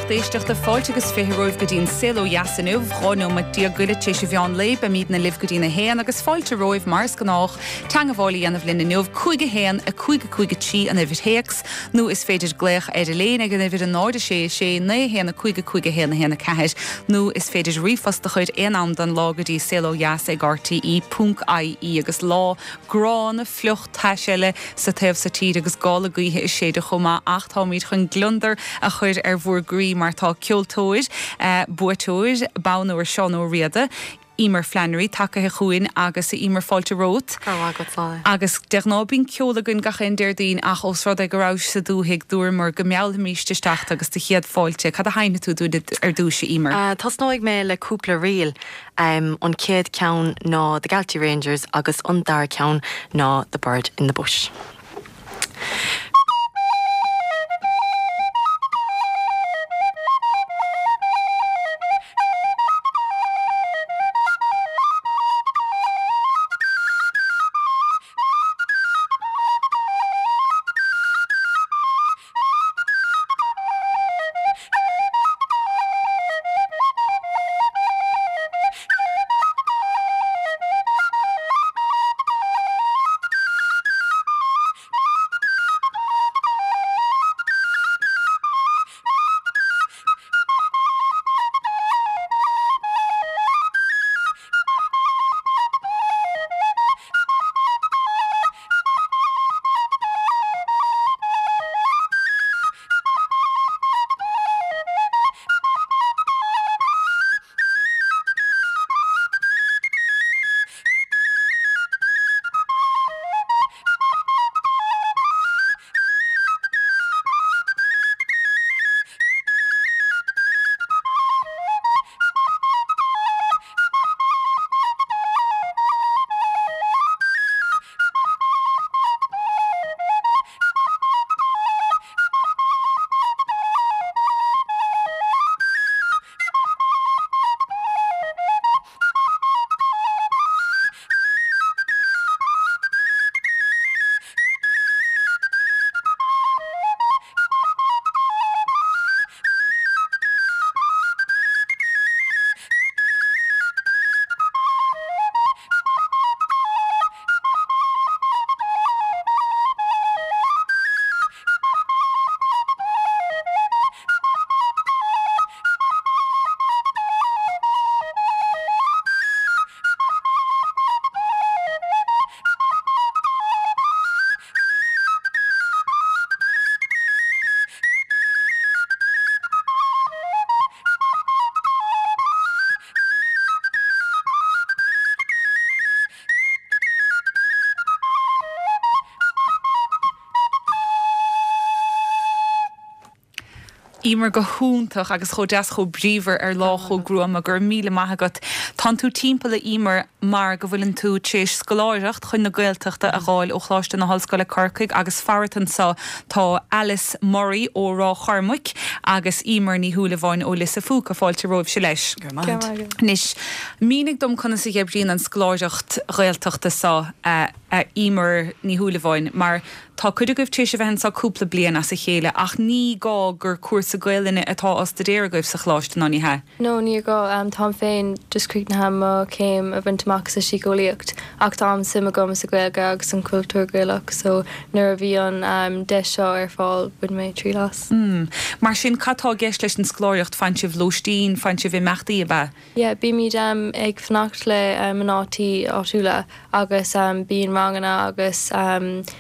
lucht éisteachta, fáilte agus 20 romhaibh go dtí an Saol Ó Dheas inniu, 12 nóiméad go leith tar éis an mheán lae. Beimidne libh go dtí'n 1 agus fáilte romhaibh, mar is gnách, teangabháil a dhéanamh linn inniu, 5 1 5 5 3 an uimhir théacs, nó is féidir glaoch ar an líne ag an uimhir 0 6 6 9 1 5 5 1 1 4, nó is féidir ríomhphost a chur aon am den lá go dtí saolodheas ag rte ponc ie agus lá gránna fliuch tais eile sa taobh so tíre agus gála gaoithe ag séideadh chomh maith ach táimid chun gliondar a chur ar bhur gcroí mar tá ceoltóir, buaiteoir Bonn Óir Seán Ó Riada, Emer Flannery, tagaithe chugainn agus a Emer fáilte romhat. Go raibh maith agat Sally. Agus de ghnáth bíonn ceol againn gach aon Déardaoin ach ós rud é go rabhais sa dúthaigh dúramar go meallfaimis isteach tú agus do chéad fáilte. Cad a sheinnfidh tú dúinn ar dtúis a Emer? Tosnóidh mé le cúpla ríl. An chéad ceann ná The Galtee Rangers agus an dara ceann ná The Bird in the Bush. Emer go hiontach agus chomh deas chomh bríomhar ar lá chomh gruama. Go raibh míle maith agat. Tánn tú timpeall a Emer mar go bhfuileann tú tar éis scoláireacht chun na Gaeltachta a dh'fháil ó Choláiste na hOllscoile Corcaigh agus farat anso tá Alice Murray ó Ráth Chormaic agus Emer Ní Shúilleabháin ó Lios a' Phúca. Fáilte romhaibhse leis. Go raibh maith agat. Anois, mínigh dom conas a dh'oibríonn an scoláireacht Ghaeltachta so, a Emer Ní Shúilleabháin, mar tá cuid agaibh tar éis a bheith anso cúpla bliain as a chéile ach ní gá gur cúrsa Gaelainne atá á staidéar agaibh sa choláiste, ná ní hea? No, ní gá. Táim féin just críochnaithe mo chéim a bhaint amach sa síceolaíocht ach tá an-suim agam sa Ghaeilge agus an cultúr Gaelach so nuair a bhí an deis seo ar fáil bhain mé triail as. Mar sin, cad tá i gceist leis an scoláireacht? Faigheann sibh lóistín, faigheann sibh imeachtaí, ab ea? Yeah, bímid ag fanacht le mná tí áitiúla agus bíonn ranganna agus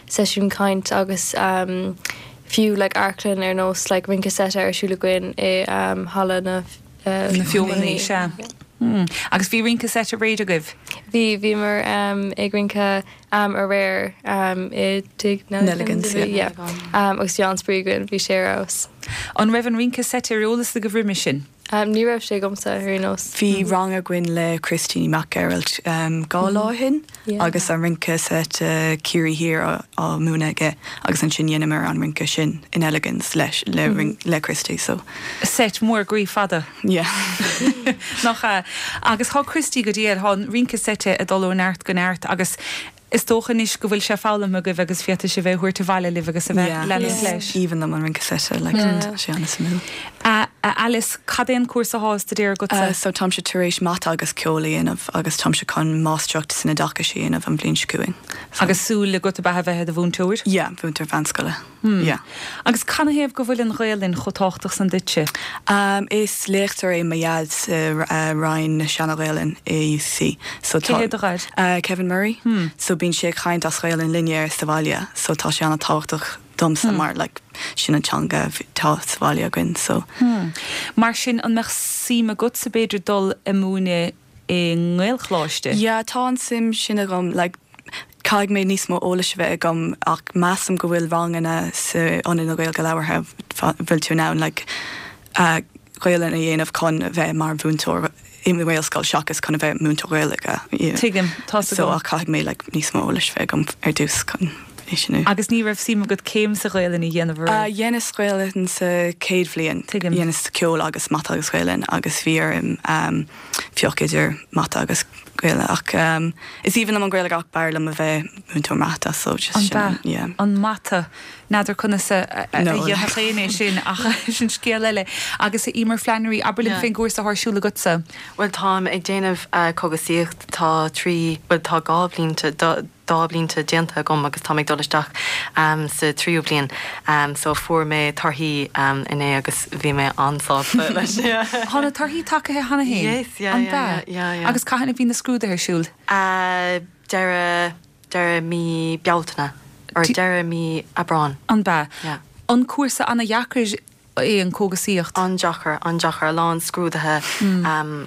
seisiúin caint agus fiú like amharclann ar nós like rince seite ar siúl againn i halla na Na Feothanaí, sea. Agus bhí rince seit aréir agaibh? Bhí, bhíomar ag rince aréir i dTigh Nelligan's, yeah. Agus bhí an-spraoi againn, bhí sé ar fheabhas. An raibh an rince seit ar eolas agaibh roimhe sin? Ní raibh sé agamsa ar aon nós. Bhí rang againn le Christy Mac Gearailt 2 lá ó shin agus an rince seit Ciarraí Thiar á múineadh aige agus ansin dheineamar an rince sin in Nelligan's leis le Christy so. Seit mór groí fada. Yeah. Nach ea? Agus tá Christy go diail, tá an rince seite ag dul ó neart go neart agus. Is dócha anois go bhfuil sé foghlamtha agaibh agus féadfaidh sibh é a thabhairt abhaile libh agus a bheith leanúint leis. Is aoibhinn liom an rince seite, like, tá sé an-suimiúil. A Alice, cad é an cúrsa athá á staidéar agatsa? So táimse tar éis mata agus ceol a dhéanamh agus táimse chun máistreacht san oideachas a dhéanamh an bhliain seo chugainn. So. Agus súil agat ab ea a bheith i do mhúinteoir? Yeah, mhúinteoir mheánscoile. Yeah. Agus canathaobh go bhfuil an Ghaelainn chomh tábhachtach san duitse? Is léachtóir é mo dhaid sa Roinn na Seana-Ghaelainne i UCC. So tá. Cé hé do dhaid? Kevin Murray. So bíonn sé ag caint as Gaelainn linne sa bhaile so tá sé an-tábhachtach domsa mar like sin an teanga atá sa bhaile againn so. Mar sin an mbeadh suim agatsa b'fhéidir dul ag múineadh i nGaelcholáiste? Yeah, tá an suim sin agam, like caithfidh mé níos mó eolais a bheith agam ach measaim go bhfuil ranganna sa Ionad na Gaeilge Labhartha bhfuil tú in ann like Gaelainn a dhéanamh chun a bheith mar mhúinteoir i nGaelscoil seachas chun a bheith múinteoir Gaeilge. Tuigim, tá's agam. So ach caithfidh mé like níos mó eolais a bheith agam ar dtús chun é sin a. Agus ní raibh suim agat céim sa Ghaelainn a dhéanamh an raibh? Dheineas Gaelainn sa chéad bhliain. Tuigim. Dheineas ceol agus mata agus Gaelainn agus bhí orm pioc idir mata agus Gaeilge ach is aoibhinn liom an Ghaeilge ach b'fhearr liom a bheith múinteoir mata so just sin an yeah. An mata. N'fheadar conas a dhéanfadh éinne é sin ach sin scéal eile. Agus a Emer Flannery, abair linn fén gcúrsa atá ar siúl agatsa. Bhuel táim ag déanamh cógasaíocht, tá trí, bhuel tá 2 bhlianta, 2 blianta déanta agam agus táim ag dul isteach sa tríú bliain so fuair mé torthaí inné agus bhí mé an-sásta leis. Tá na torthaí tagaithe cheana féin? Yes, yeah, An yeah, b'ea? yeah, yeah. Agus cathain a bhí na scrúduithe ar siúl? Deireadh, deireadh mí Bealtaine or deireadh mí Aibreáin. An b'ea? Yeah. An cúrsa ana-dheacair é an cógasaíocht? An-deacair, an-deacair, a lán scrúduithe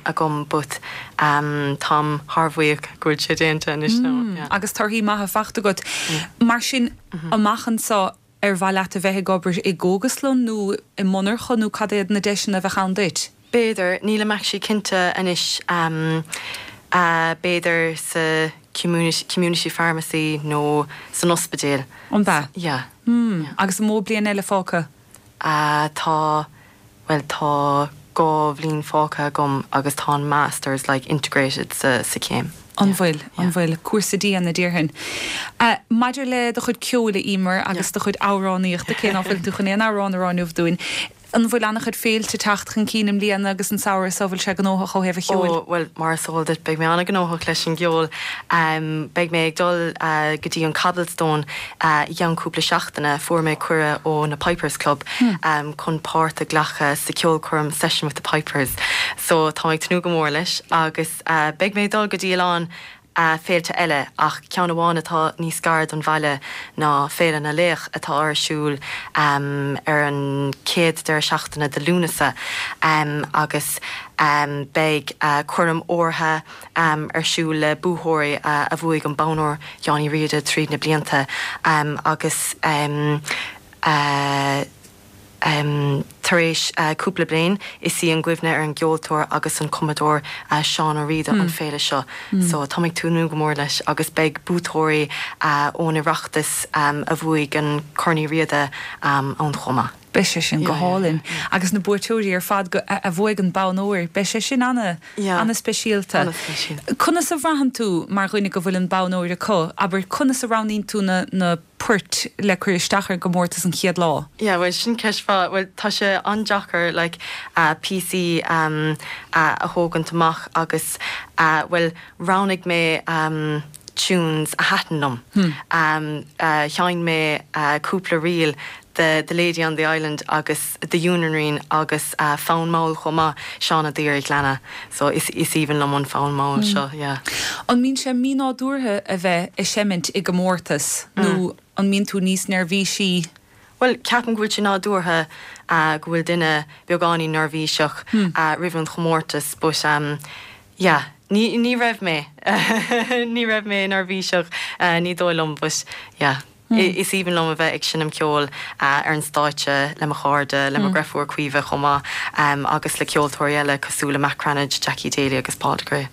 agam but táim thar bhuíoch go bhfuil sé déanta anois now, yeah. Agus torthaí maithe faighte agat. Mar sin, amach anseo, ar mhaith leat a bheith ag obair i gcógaslann nó i monarcha nó cad iad na deiseanna a bheadh ann duit? B'fhéidir, nílim actually cinnte anois, b'fhéidir sa community, community pharmacy nó san ospidéal. An b'ea? Yeah. Agus an mó bliain eile fágtha? Tá, bhuel tá 2 bhliain fágtha agam agus tá an masters like integrated sa sa chéim. An bhfuil, an bhfuil. Cúrsa dian a déarfainn. Maidir le do chuid ceoil, a Emer, agus do chuid amhránaíochta, cé ná fuil tú chun aon amhrán a rá inniu dúinn, an bhfuil an-chuid féilte ag teacht chun cinn i mbliana agus an samhradh so, bhfuil sé gnóthach ó thaobh an cheoil? Ó, bhuel, mar is eol duit, beidh mé an-ghnóthach leis an gceol. Beidh mé ag dul go dtí an Cobblestone I gceann cúpla seachtaine fuair mé cuireadh ó na Pipers Club chun páirt a ghlacadh sa cheolchoirm Session with the Pipers so táim ag tnúth go mór leis agus beidh mé ag dul go dtí a lán féilte eile ach ceann amháin atá níos gaire don bhaile ná Féile na Laoch atá ar siúl ar an chéad deireadh seachtaine de Lúnasa agus beidh coirm órdha ar siúl le buaiteoirí a bhuaigh an bonn óir Sheáin Uí Riada tríd na blianta agus tar éis cúpla bliain is í an gcuimhne ar an gceoltóir agus an cumadóir Seán Ó Riada an féile seo so táim ag tnúth go mór leis agus beidh buaiteoirí ón Oireachtas a bhuaigh an Corn Uí Riada ann chomh maith. Beidh sé sin go hálainn. Agus na buaiteoirí ar fad a bhuaigh an bonn óir, beidh sé sin ana-speisialta. Conas a bhraitheann tú mar dhuine go bhfuil an bonn óir acu? Abair, conas a roghnaíonn tú na poirt le cur isteach ar an gcomórtas an chéad lá? Yeah, bhuel, sin ceist mhaith. Bhuel, tá sé an-deacair like píosaí a thógaint amach agus bhuel, roghnaigh mé tunes a thaitin liom. Sheinn mé cúpla ríl de The Lady on the Island agus The Union Ring agus Fonn Mall chomh maith, Seán Ó Duibhir Ghleanna. So is aoibhinn liom an fonn mall seo, yeah. An mbíonn sé mínádúrtha a bheith ag seimint i gcomórtas nó an mbíonn tú níos neirbhísí? Bhuel, ceapaim go bhfuil sé nádúrtha go bhfuil duine beagáinín neirbhíseach roimh an chomórtas but yeah, ní ní raibh mé, ní raibh mé neirbhíseach, ní dóigh liom but yeah. Is aoibhinn liom a bheith ag seinm ceoil ar an stáitse le mo chairde, le mo dhreirfiúr Caoimhe chomh maith, agus le ceoltóirí eile cosúil le Matt Cranitch, Jackie Daly agus Paul de Grey.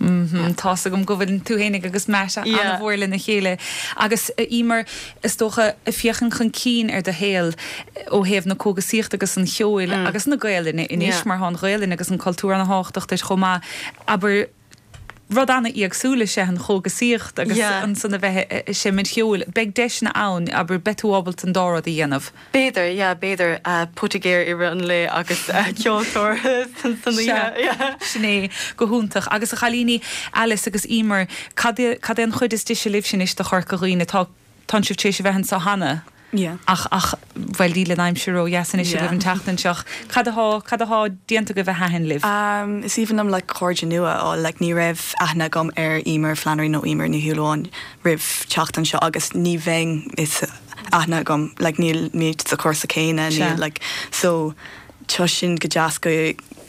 Tá's agam go bhfuil tú fhéinig agus Matt an-mhór lena chéile. Agus a Emer, is dócha, ag féachaint chun cinn ar do shaol ó thaobh na cógasaíochta agus an cheoil agus na Gaelainne anois, mar tá an Ghaelainn agus an cultúr an-thábhachtach duit chomh maith, abair. Rud an-éagsúil is ea an chógasaíocht agus ansan a bheith ag seimint cheoil. Beidh deiseanna ann, abair, beidh tú ábalta an dá rud a dhéanamh. B'fhéidir, yeah, b'fhéidir, poitigéir i rith an lae agus ceoltóir san oíche, yeah. Sin é, go hiontach. Agus a chailíní, Alice agus Emer, cad é, cad é an chuid is deise libhse anois de Chorca Dhuibhne? Tá, tánn sibh tar éis a bheith anseo cheana. Yeah. Ach, ach, bhuel, níl an aimsir ró-dheas anois agaibh an tseachtain seo. Cad athá, cad athá déanta agaibh a thaitin libh? Um, is aoibhinn liom like cairde nua a fháil, like ní raibh aithne agam ar Emer Flannery nó Emer Ní Shúilleabháin roimh teacht anseo agus ní bheinn is aithne agam, like nílimid sa chúrsa céanna, níl like, so tá sin go deas go,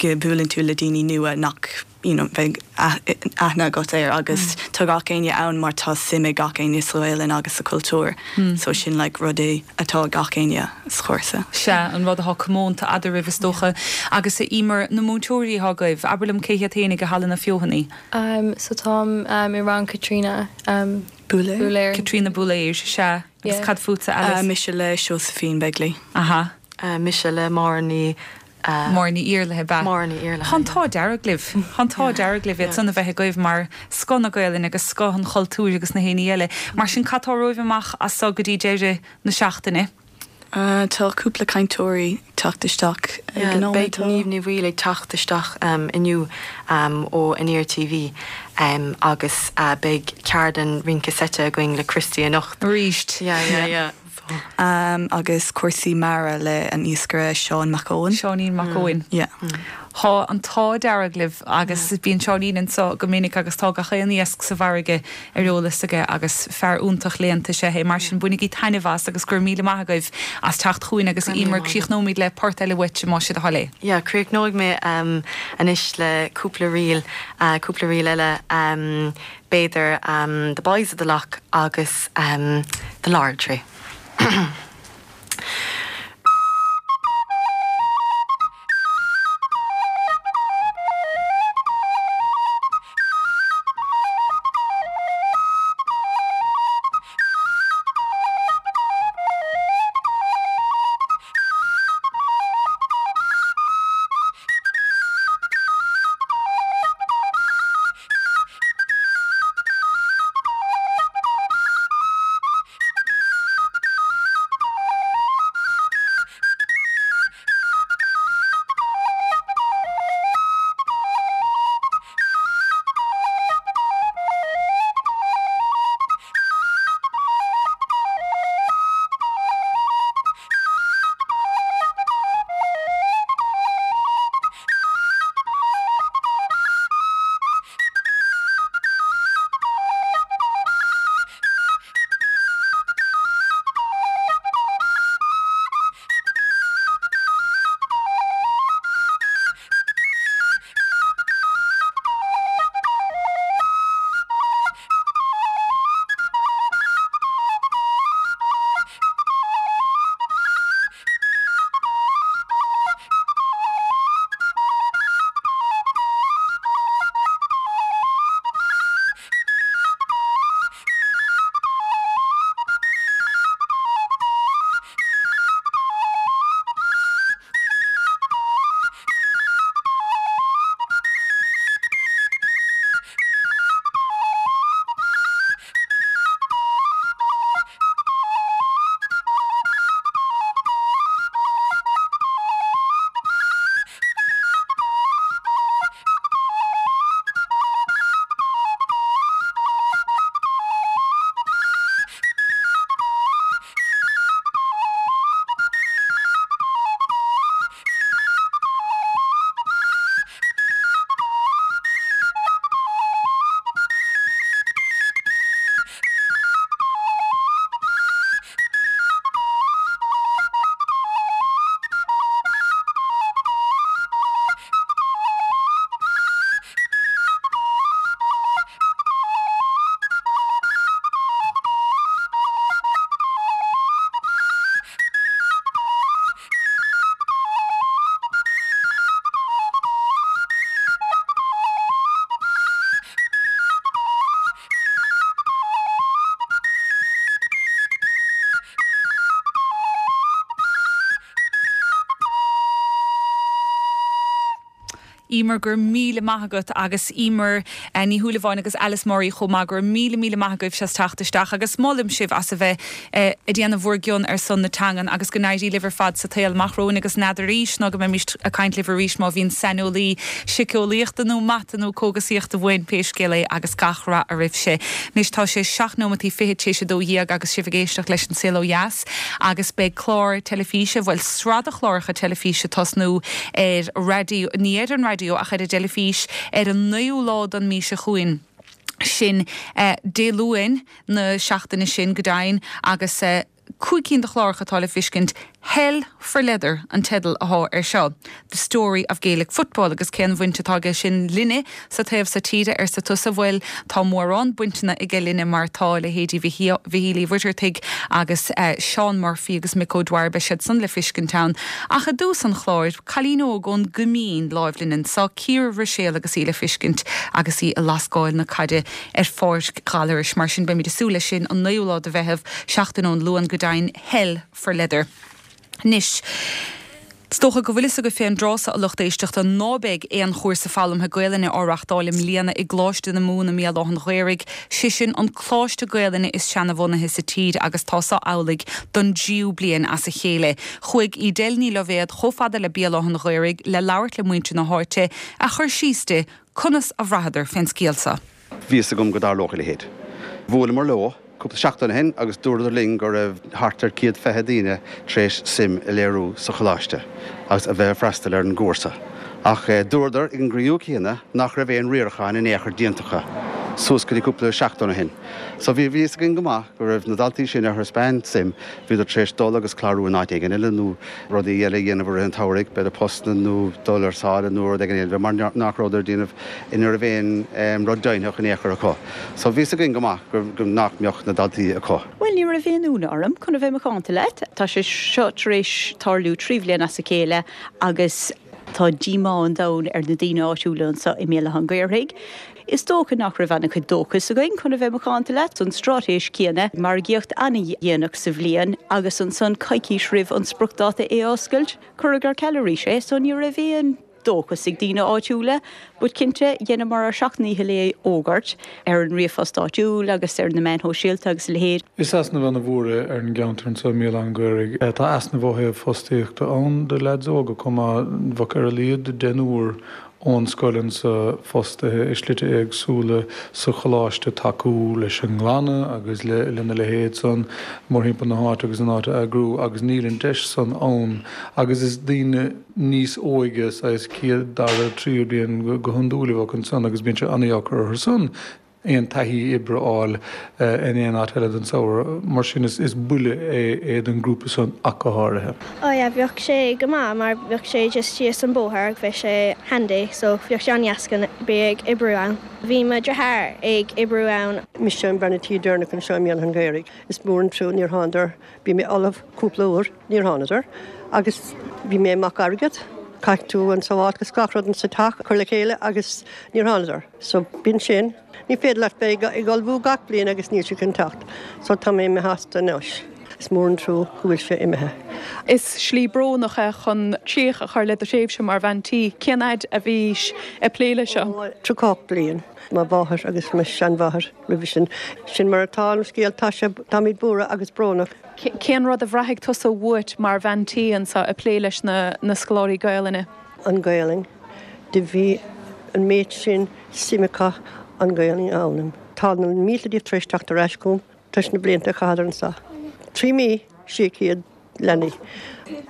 go buaileann tú le daoine nua nach you know bheadh aithne agat air agus tá gach éinne ann mar tá suim ag gach éinne sa Ghaelainn agus sa chultúr so sin like rud é atá ag gach éinne sa chúrsa. Sea, an rud atá comónta eadraibh is dócha. Agus a Emer, na múinteoirí atá agaibh, abair liom cé hiad féin ag Halla na Feothanaí? Um so táim um i rang Caitríona um Búiléir. Búiléir. Caitríona Búiléir, sea. Agus cad fútsa, Alice? Mise le Josephine Begley. Aha. Mise le Máire Ní. Máire Ní Iarlaithe, ab ea? Máire Ní Iarlaithe, Tá an t-ádh dearg libh. Tá an t-ádh dearg libh iad san a bheith agaibh mar scoth na Gaelainne agus scoth an chultúir agus na héinní eile. Mar sin, cad tá romhaibh amach as so go dtí deireadh na seachtaine? Tá cúpla cainteoirí ag teacht isteach ag an nóiméad. Beidh Niamh Ní Bhaoill ag teacht isteach inniu ó Aniar TV agus beidh ceardlann rince seite againn le Christy anocht. Arís. Yeah, yeah, yeah. Agus cúrsaí mara le an iascaire Seán Mac Eoin. Seáinín Mac Eoin. Yeah. Tá an t-ádh dearg libh agus bíonn Seáinín anso go minic agus tá gach aon iasc sa bhfarraige ar eolas aige agus fear iontach léannta is ea é. Mar sin bainigí taitneamh as agus go raibh míle maith agaibh as teacht chugainn agus a Emer críochnóimid le port eile uait más é do thoil é. Yeah, críochnóidh mé anois le cúpla ríl, cúpla ríl eile. B'fhéidir The Boys of the Lough agus The Laurel Tree. Emer, go raibh míle maith agat agus Emer Ní Shúilleabháin agus Alice Murray chomh maith, go raibh míle míle maith agaibhse as teacht isteach agus molaim sibh as a bheith ag déanamh bhur gcion ar son na teangan agus go n-éirí libh ar fad sa tsaol amach romhainn agus n'fheadar arís ná go mbeimís ag caint libh arís má bhíonn saineolaí siceolaíochta nó mata nó cógasaíochta uainn, pé scéal é agus gach rath oraibhse. Anois tá sé seacht nóimeataí fichead tar éis a 12 agus sibh ag éisteacht leis An Saol Ó Dheas agus beidh clár teilifíse, bhuel sraith de chláracha teilifíse ag tosnú ar raidió, ní ar an raidió ach ar an dteilifís, ar an naoú lá den mí seo chugainn, sin Dé Luain na seachtaine sin go deimhin, agus 5 cinn de chláracha atá le fiscint, Hell for Leather an teideal athá air seo, The Story of Gaelic Football, agus cén bhaint atá aige sin linne sa taobh so tíre, arsa tusa? Bhuel, tá mórán bainteanna aige linne mar tá leithéidí Mhichíl Uí Mhuircheartaigh agus Seán Murphy agus Mick O'Dwyer, beidh siad san le fiscint ann. Ach i dtús an chláir, cailín óg ón gCoimín láimh linn anso, Ciara Ruiséal agus í le fiscint agus í ag lascáil na caide ar Pháirc Ghallarais. Mar sin beimid ag súil leis sin an 9ú lá de Mheitheamh, seachtain ón Luan go deimhin, Hell for Leather. Anois, is dócha go bhfuil fhios agaibh fén dtráth so, a lucht éisteachta, ná beidh aon chúrsa foghlamtha Gaelainne á reachtáil i mbliana i gColáiste na Mumhan i mBéal Átha'n Ghaorthaidh, sé sin an coláiste Gaelainne is seanabhunaithe sa tír agus tá so amhlaidh don dtríú bliain as a chéile. Chuaigh Edel Ní Loibhéad chomh fada le Béal Átha'n Ghaorthaidh le labhairt le muintir na háite a chur síos di conas a bhraitheadar fén scéal so. Bhí fhios agam go dtarlódh a leithéid. Bhuaileamar leo cúpla seachtain ó shin agus dúradar linn go raibh thart ar 120 daoine tar éis suim a léiriú sa choláiste agus a bheith ag freastal ar an gcúrsa. Ach dúradar ag an gcruinniú céanna nach raibh aon riarachán in aon chor déanta acu suas go dtí cúpla seachtain ó shin. So bhí fhios againn go maith go raibh na daltaí sin a thaispeáin suim, bhíodar tar éis dul agus clárú in áit éigin eile nó rudaí eile a dhéanamh i rith an tsamhraidh, b'fhéidir postanna nó dul ar sáile nó rud éigin eile mar nach rabhadar ag déanamh, ní raibh aon rud deimhneach in aon chor acu. So bhí fhios againn go maith go nach mbeadh na daltaí acu. Bhuel, ní raibh aon ionadh orm, chun a bheith macánta leat. Tá sé seo tar éis tarlú 3 bhliain as a chéile agus tá díomá an domhain ar na daoine áitiúla anseo i mBéal Átha an Ghaorthaidh. Is dócha nach raibh an-chuid dóchais againn, chun a bheith macánta leat. An straitéis chéanna, margaíocht an-dhéanach sa bhliain agus ansan coicís roimh an spriocdháta é a oscailt, cuireadh ar ceal arís é, so ní raibh aon dóchas ag daoine áitiúla. But cinnte, dheineamar ár seacht ndícheall é a fhógairt ar an ríomhphost áitiúil agus ar na meáin shóisialta agus a leithéid. Is easnamh ana-mhór é ar an gceantar anseo i mBéal Átha an Ghaorthaidh. Tá easnamh ó thaobh fostaíochta ann do leaids óga chomh maith. Bheadh ar a laghad deichniúr ón scoil anseo fostaithe i slite éagsúla sa choláiste tacú leis an nglanadh agus lena leithéid san mórthimpeall na háite agus an áit a eagrú agus níl an deis san ann agus is daoine níos óige, saghas céad, dara, tríú bliain go hiondúil a bheadh ansan agus bíonn sé an-dheacair orthu san aon taithí oibre a fháil in aon áit eile don samhradh. Mar sin is buille é don ghrúpa san ach go háirithe. Oh yeah bheadh sé go maith mar bheadh sé just síos an bóthar agus bheadh sé handy so bheadh sé an-dheas chun bheith ag oibriú ann. Bhí mo dheartháir ag oibriú ann. Mise an bhean tí deireanach anseo i mBéal Átha an Ghaorthaidh. Is mór an trua níor thánadar. Bhí mé ullamh cúpla uair, níor thánadar agus bhí mé amach airgead. Caithfidh tú an sábháilt agus gach rud insa teach a chur le chéile agus níor thánadar. So b'in sin. Ní féidir leat bheith ag ullmhú gach bliain agus níl siad chun teacht. So tá mé imithe astu anois. Is mór an trua go bhfuil sé imithe. Is slí brónach é chun críoch a chur le do thréimhse mar bhean tí. Cén fhaid a bhís ag plé leis seo? Ó, 38 bliain. Mo mháthair agus mo sheanmháthair roimhe sin. Sin mar atá an scéal. Tá sé, táimid buartha agus brónach. Cén rud a bhraithfidh tusa uait mar bhean tí anseo ag plé leis na scoláirí Gaelainne? An Ghaelainn. Do bhí an méid sin suim acu an Ghaelainn a fhoghlaim. Tá na mílte díobh tar éis teacht ar ais chugam tar éis na blianta a chaitheadar anseo. 3 mí, 600 leanaí.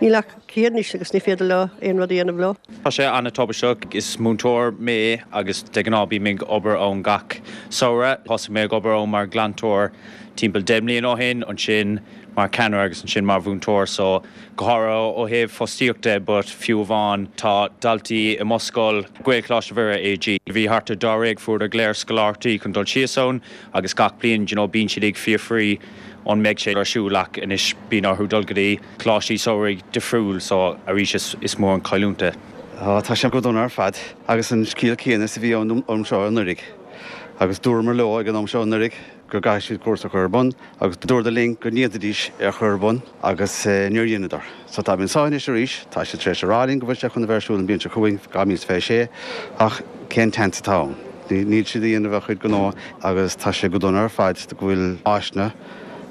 Níl ach 100 anois agus ní féidir leo aon rud a dhéanamh leo. Tá sé an-tubaisteach. Is múinteoir mé agus de ghnáth bím ag obair ann gach samhradh. Thosaigh mé ag obair ann mar ghlantóir timpeall 10 mbliana ó shin, ansin mar cheannaire agus ansin mar mhúinteoir so go háirithe ó thaobh fostaíocht de but fiú amháin tá daltaí i mo scoil, Gaelcholáiste Mhuire AG, bhí thart ar dáréag fuaireadar go léir scoláireachtaí chun dul síos ann agus gach bliain you know bíonn siad ag fiafraí an mbeidh sé ar siúl ach anois bíonn orthu dul go dtí coláistí samhraidh difriúil so arís is is mór an chailliúint é. Tá sé go dona ar fad agus an scéal céanna is a bhí ann an am seo anuraidh agus dúramar leo ag an am seo anuraidh. go gcaithfidh siad cúrsa a chur ar bun agus dúradar linn go ndéanfaidís é a chur ar bun agus níor dheineadar. So táimid anseo anois arís, tá siad tar éis a rá linn go bhfuil sé chun a bheith ar siúl an bhliain seo chugainn, 2026, ach cén tseans atá ann? Níl siad a dhéanamh a chuid gnó agus tá sé go dona ar fad go bhfuil áiseanna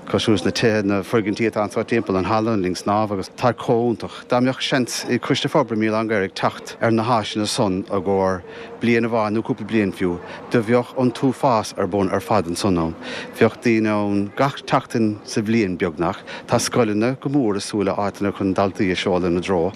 cosúil leis na tithe, na foirgintí atá anseo timpeall, an halla, an linn snámha agus tá chomh iontach. Dá mbeadh seans ag Coiste Forbartha i mBéal Átha an Ghaorthaidh teacht ar na háiseanna san i gcomhair bliain amháin nó cúpla bliain fiú, do bheadh an t-uafás ar bun ar fad ansan ann. Bheadh daoine ann gach tseachtain sa bhliain beagnach. Tá scoileanna go mór ag súil le áiteanna chun daltaí a seoladh ina dtreo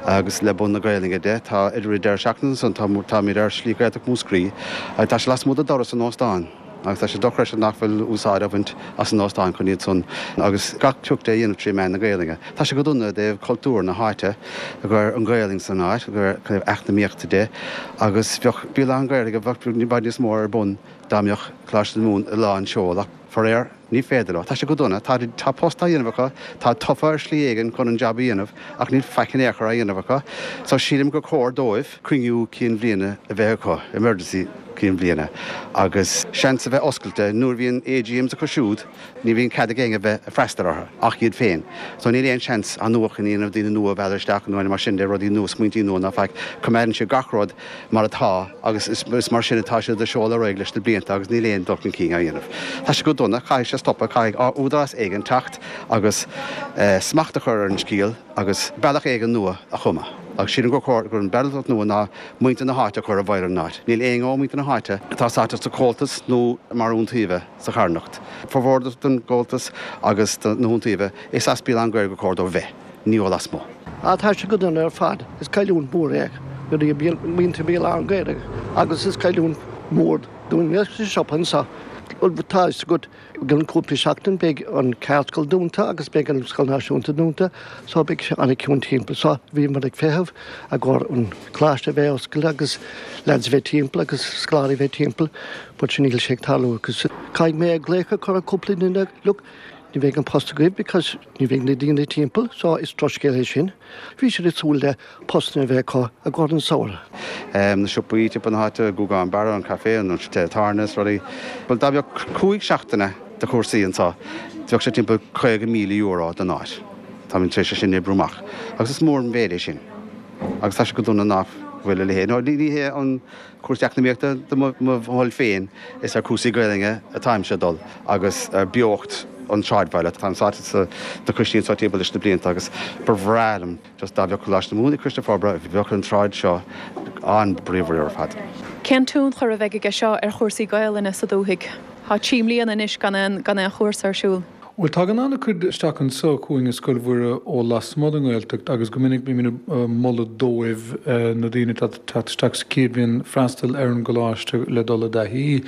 agus le bun na Gaelainne de, tá idir an deireadh seachtaine ansan, tá, táimid ar Shlí Ghaeltacht Mhúscraí agus tá sé lasmuigh de doras an óstáin. Agus tá sé dochreidte nach bhfuil úsáid á bhaint as an óstán chun iad san agus gach pioc de a dhéanamh tré mheán na Gaelainne. Tá sé go dona i dtaobh cultúr na háite, i gcomhair an Ghaelainn san áit, i gcomhair eacnamaíochta de, agus bheadh Béal Átha an Ghaorthaidh bheadh i bhfad níos mó ar bun dá mbeadh Coláiste na Mumhan i lán seol ach faraor ní féidir leo. Tá sé go dona. Tá tá post á dhéanamh acu, tá tofa ar shlí éigin chun an jab a dhéanamh ach níl faic in aon chor á dhéanamh acu. So sílim gur chóir dóibh cruinniú cinn bhliana a bheith acu, emergency cinn bhliana, agus seans a bheith oscailte. Nuair a bhíonn AGMs acu siúd, ní bhíonn cead ag éinne a bheith ag freastal orthu ach iad féin. So níl aon seans athnuachan a dhéanamh, daoine nua a mhealladh isteach nó mar sin de, rudaí nua, smaointí nua ná faic. Coimeádann siad gach rud mar atá agus is mar sin atá siad ag seoladh ar aghaidh leis na blianta agus níl aon dul chun cinn á dhéanamh. Tá sé go dona, caithfidh sé stopadh, caithfidh údarás éigin teacht agus smacht a chur ar an scéal. agus bealach éigin nua a chumadh. Agus sílim gur chóir gur an bealach nua ná muintir na háite a chur i bhfeighil an áit. Níl éinne ó mhuintir na háite atá sáite sa Chomhaltas nó mar iontaobhaithe sa charthanacht. Formhór den gComhaltas agus de na hiontaobhaithe, is as Béal Átha an Ghaorthaidh gur chóir dóibh bheith, ní ó lasmuigh. Ah tá sé go dona ar fad. Is cailliúint mhór é do mhuintir Bhéal Átha an Ghaorthaidh agus is cailliúint mhór dúinne sa siopa anseo. Tá fhios agat I gcionn cúpla seachtain beidh an ceardscoil dúnta agus beidh an scoil náisiúnta dúnta so beidh sé an-chiúin timpeall. So bhíomar ag feitheamh i gcomhair an coláiste a bheith oscailte agus lads a bheith timpeall agus scoláirí a bheith timpeall but sin níl sé ag tarlú agus caithfidh mé glaoch a chur ar cúpla duine look ní bheidh an post agaibh because ní bheidh na daoine timpeall so is drochscéal é sin. Bhí siad ag súil le postanna a bheith acu i gcomhair an samhradh. Na siopaí timpeall na háite, Gúgán Barra, an café, an teach tábhairne is rudaí. Bhuel, dá mbeadh 5 seachtaine de chúrsaí anseo, bheadh sé timpeall €50,000 don áit. Táimid tar éis é sin a oibriú amach. Agus is mór an mhéid é sin. Agus tá sé go dona nach bhfuil a leithéid. Ní hé an cúrsaí eacnamaíochta do mo thoil féin, is ar cúrsaí Gaelainne atáimse ag dul agus ar beocht an tsráidbhaile. Táim sáite sna coistí anseo timpeall leis na blianta agus ba bhreá liom Just dá mbeadh Coláiste na Mumhan ag Coiste Forbartha bheadh an tsráid seo an-bhríomhar ar fad. Cén tionchar a bheidh aige seo ar chúrsaí Gaelainne sa dúthaigh? Tá 3 mbliana anois gan aon gan aon chúrsa ar siúl. Bhuel, tagann an-chuid isteach anseo chugainn i Scoil Mhuire ó lasmuigh den nGaeltacht agus go minic bímid ag moladh dóibh, na daoine atá ag teacht isteach sa chéad bhliain, freastal ar an gcoláiste le dul i dtaithí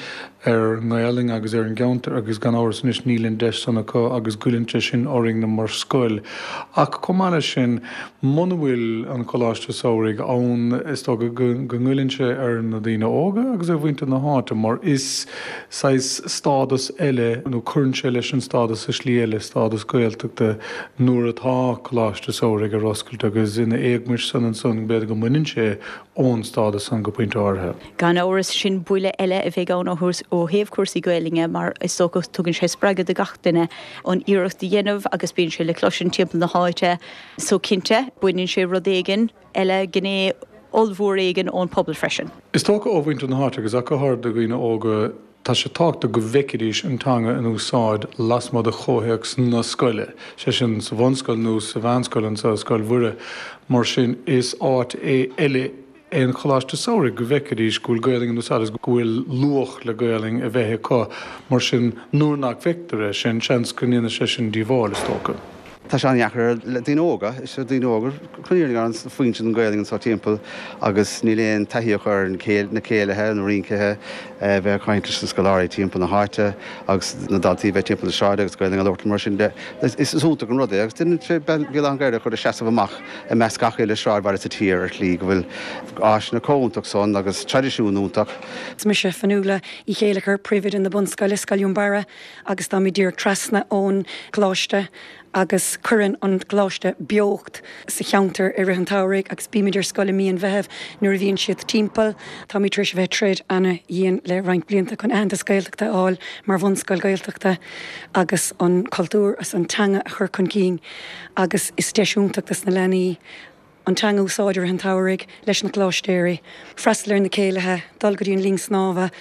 ar an nGaelainn agus ar an gceantar agus gan amhras anois níl an deis san acu agus goilleann sé sin orainn mar scoil. Ach chomh maith leis sin, muna bhfuil an Coláiste Samhraidh ann is dócha go ngoilleann sé ar na daoine óga agus ar mhuintir na háite mar is saghas stádas eile nó cuireann sé leis an stádas i slí eile, stádas Gaeltachta, nuair atá Coláiste Samhraidh ar oscailt agus ina éagmais san ansan b'fhéidir go mbaineann sé ón stádas san go pointe áirithe. Gan amhras, sin buille eile a bheidh ann ó thaobh cúrsaí Gaelainne mar is dócha tugann sé spreagadh do gach duine an iarracht a dhéanamh agus bíonn sé le cloisint timpeall na háite so cinnte baineann sé rud éigin eile, gné ollmhór éigin ón pobal freisin. Is dócha ó mhuintir na háite agus ach go háirithe do dhaoine óga, Tá sé tábhachtach go bhfeicfidís an teanga in úsáid lasmuigh de chomhthéacs na scoile, sé sin sa bhunscoil nó sa mheánscoil anseo i Scoil Mhuire. Mar sin is áit é eile é an Choláiste Samhraidh go bhfeicfidís go bhfuil Gaelainn in úsáid agus go bhfuil luach le Gaelainn a bheith acu. Mar sin nuair nach bhfeictear é sin, seans go ndéanfaidh sé sin díobháil, is dócha. Tá sé an-dheacair le daoine óga, is ar daoine óga chun fírinne an foinse den Ghaelainn anseo timpeall agus níl aon taithí acu ar na céilithe, na rinceithe, bheith ag caint leis na scoláirí timpeall na háite agus na daltaí bheith timpeall na sráide agus Gaelainn a labhairt mar sin de. Is iontach an rud é agus déanann sé Béal Átha an Ghaorthaidh a chur ag seasamh amach i measc gach uile sráidbhaile sa tír ar shlí go bhfuil áiseanna chomh iontach san agus traidisiún iontach. Is mise Fionnuala Uí Chéilleachair, Príomhoide na Bunscoile, Scoil Dhún Barra, agus táimid díreach trasna ón gcoláiste. Agus cuireann an Coláiste beocht sa cheantar i rith an tsamhraidh agus bímid ar scoil i mí an Mheithimh nuair a bhíonn siad timpeall. Táimid tar éis a bheith ag troid ana-dhian le roinnt blianta chun aitheantas Gaeltachta a fháil mar bhunscoil Ghaeltachta agus an cultúr agus an teanga a chur chun cinn agus is deis iontach dos na leanaí an teanga a úsáid i rith an tsamhraidh leis na Coláistéirí, freastal ar na céilithe, dul go dtí an linn snámha,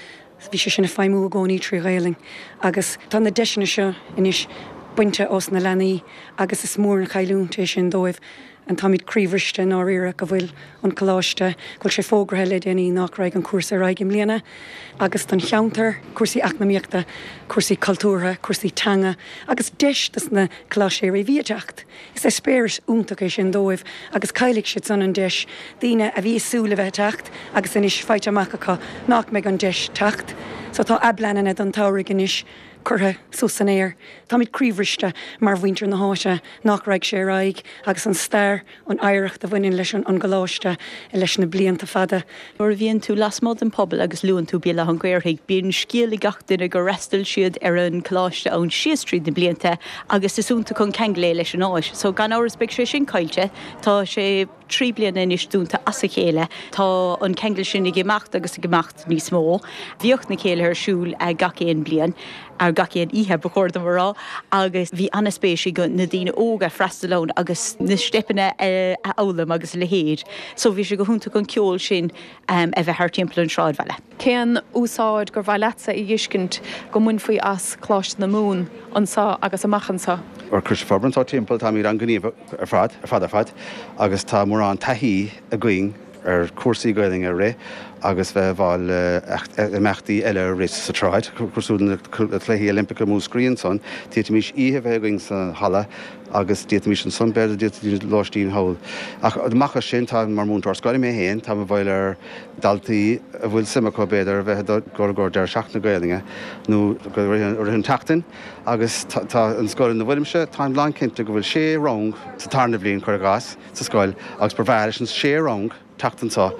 bhí sé sin ag feidhmiú i gcónaí trí Ghaelainn agus tá na deiseanna seo anois bainte ós na leanaí agus is mór an chailliúint é sin dóibh and táimid croíbhriste i ndáiríre go bhfuil an Coláiste, go bhfuil sé fógraithe le déanaí nach raghaidh an cúrsa ar aghaidh i mbliana agus don cheantar, cúrsaí eacnamaíochta, cúrsaí cultúrtha, cúrsaí teanga agus deis dos na Coláistéirí a bhí ag teacht. Is eispéireas iontach é sin dóibh agus caillfidh siad san an deis, daoine a bhí ag súil le bheith ag teacht agus anois faighte amach acu nach mbeidh an deis teacht. So tá a bpleananna don tsamhraidh anois curtha suas san aer. Táimid croíbhriste mar mhuintir na háite nach raghaidh sé ar aghaidh agus an stair, an oidhreacht a bhaineann leis an gcoláiste leis na blianta fada. Nuair a bhíonn tú lasmuigh den pobal agus luann tú Béal Átha an Ghaorthaidh, bíonn scéal ag gach duine gur fhreastail siad ar an choláiste ann síos tríd na blianta agus is iontach an ceangal é leis an áit. So gan amhras beidh sé sin caillte. Tá sé 3 bliana anois dúnta as a chéile. Tá an ceangal sin ag imeacht agus ag imeacht níos mó. Bhíodh na céilithe ar siúl gach aon bliain. ar gach aon oíche, ba chóir dom a rá, agus bhí an-spéis ag na daoine óga freastal ann agus na steipeanna a fhoghlaim agus a leithéid. So bhí sé go hiontach an ceol sin a bheith thart timpeall an sráidbhaile. Cén úsáid gur mhaith leatsa a fheiscint go mbainfí as Coláiste na Mumhan anseo agus amach anseo? Ar Coiste Forbartha anseo timpeall, táimid an-ghníomhach ar fad, ar fad ar fad, agus tá mórán taithí againn ar chúrsaí Gaelainne a rith agus bheith i bhfeighil imeachtaí eile a rith sa tsráid, cosúil le Cluichí Oilimpeacha Mhúscraí ansan. D'fhéadfaimis oíche a bheith againn sa halla agus d'fhéadfaimis ansan, b'fhéidir, d'fhéadfaimis lóistín thall. Ach amach as sin, tá, mar mhúinteoir scoile mé féin, táim i bhfeighil ar dhaltaí a bhfuil suim acu, b'fhéidir, a bheith ag dul i gcomhair deireadh seachtaine Gaelainne nó i rith an tseachtain agus tá an scoil ina bhfuilimse, táim lánchinnte go bhfuil sé rang sa tarna bhliain, cuir i gcás. sa scoil agus ba bhreá leis an sé rang teacht anseo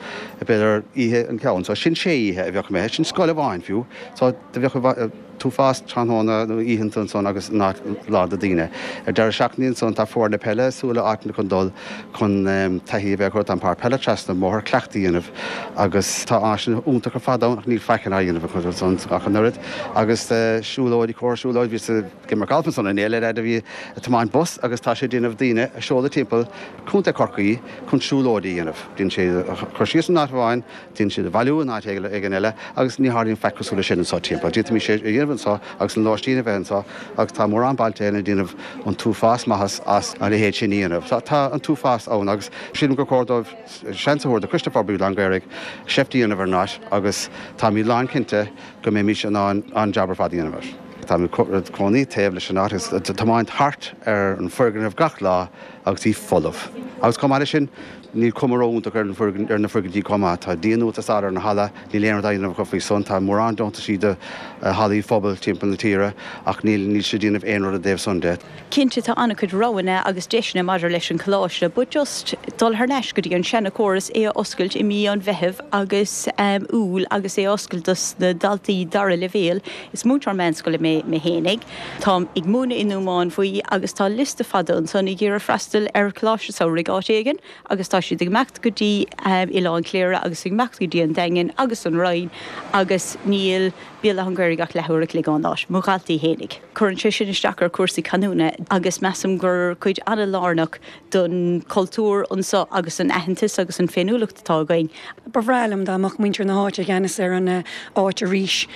b'fhéidir oíche an ceann so sin sé oíche a bheadh imithe, sin scoil amháin fiú so do bheadh an t-uafás tráthnóna nó oícheanta ansan agus an áit lán de daoine. Ar deireadh seachtaine ansan tá foirne peile ag súil le áiteanna chun dul chun taithí a bheith acu, tá an páirc peile trasna an bhóthair, cleachtadh a dhéanamh agus tá áiseanna iontach ar fad ann ach níl faic á dhéanamh acu ansan ach an oiread agus siúlóidí, comhair siúlóid, bhíos ag imirt galf ansan inné le leaid a bhí ag tiomáint bus agus tá sé ag déanamh daoine a seoladh timpeall Contae Chorcaí chun siúlóidí a dhéanamh. Déanann sé iad a chur síos in áit amháin, déanann siad a bhailiú in áit éigin eile agus ní tharlaíonn faic cosúil leis sin anseo timpeall. D'fhéadfaimis é a dhéanamh anseo agus an lóistín a bheith anseo agus tá mórán bailte eile ag déanamh an t-uafás maitheas as a leithéid sin a dhéanamh. Tá an t-uafás ann agus sílim gur chóir dóibh seans a thabhairt do Choiste Forbartha Bhéal Átha an Ghaorthaidh seift a dhéanamh ar an áit agus táimid lánchinnte go mbeimis in ann an-jab ar fad a dhéanamh air. Táim ag cónaí taobh leis an áit agus tiomáint thart ar an foirgneamh gach lá agus í folamh. Agus chomh maith leis sin, níl cuma ró-iontach ar ar na foirgintí chomh maith. Tá díonú ag teastáil ar an halla, níl aon rud á dhéanamh acu faoi san. Tá mórán deontaisí do hallaí phobail timpeall na tíre ach níl níl siad ag déanamh aon rud i dtaobh san de. Cinnte tá an-chuid roghanna agus deiseanna maidir leis an choláiste but just dul thar n-ais go dtí an seana-chóras, é a oscailt i mí an Mheithimh agus Iúil agus é a oscailt dos na daltaí dara leibhéal. Is múinteoir meánscoile mé mé fhéinig. Táim ag múineadh i nDún Mánmhaí agus tá liosta fada ansan ag iarraidh freastal ar choláiste samhraidh áit éigin agus tá siad ag imeacht go dtí Oileán Chléire agus ag imeacht go dtí an Daingean agus an Rinn agus níl Béal Átha an Ghaorthaidh ach leathuair a chloig ón áit, mo dhaltaí fhéinig. Cuireann sé sin isteach ar chúrsaí canúna agus measaim gur cuid an-lárnach don chultúr anso agus an aitheantas agus an féiniúlacht atá againn. Ba bhreá liom dá mbeadh muintir na háite i gceannas ar an áit arís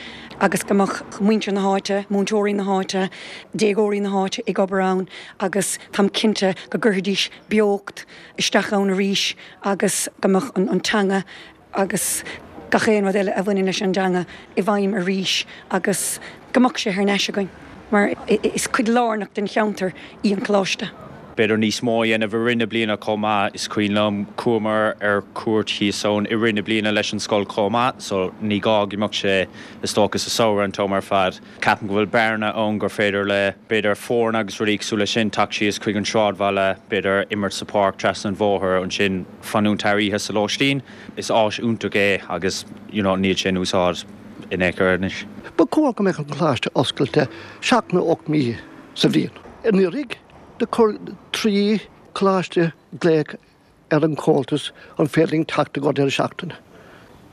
agus go mbeadh muintir na háite, múinteoirí na háite, déagóirí na háite ag obair ann agus táim cinnte go gcuirfidís beocht isteach ann arís agus go mbeadh an teanga agus gach aon rud eile a bhaineann leis an dteanga i bhfeidhm arís agus go mbeadh sé thar n-ais againn mar is cuid lárnach den cheantar í an coláiste. B'fhéidir níos mó a dhéanamh i rith na bliana chomh maith. Is cuimhin liom chuamar ar cuairt thíos ann i rith na bliana leis an scoil chomh maith so ní gá go mbeadh sé is dócha sa samhradh an t-am ar fad. Ceapaim go bhfuil bearna ann gur féidir le, b'fhéidir, foirne agus rudaí cosúil leis sin teacht síos chuig an sráidbhaile, b'fhéidir imirt sa pháirc trasna an bhóthair, ansin fanúint thar oíche sa lóistín. Is áis iontach é agus you know níl sé in úsáid in aon chor anois. Ba chóir go mbeadh an Coláiste oscailte seacht nó 8 mí sa bhliain. Anuraidh. Do chuir 3 choláiste glaoch ar an Chomhaltas an féidir linn teacht i gcomhair deireadh seachtaine?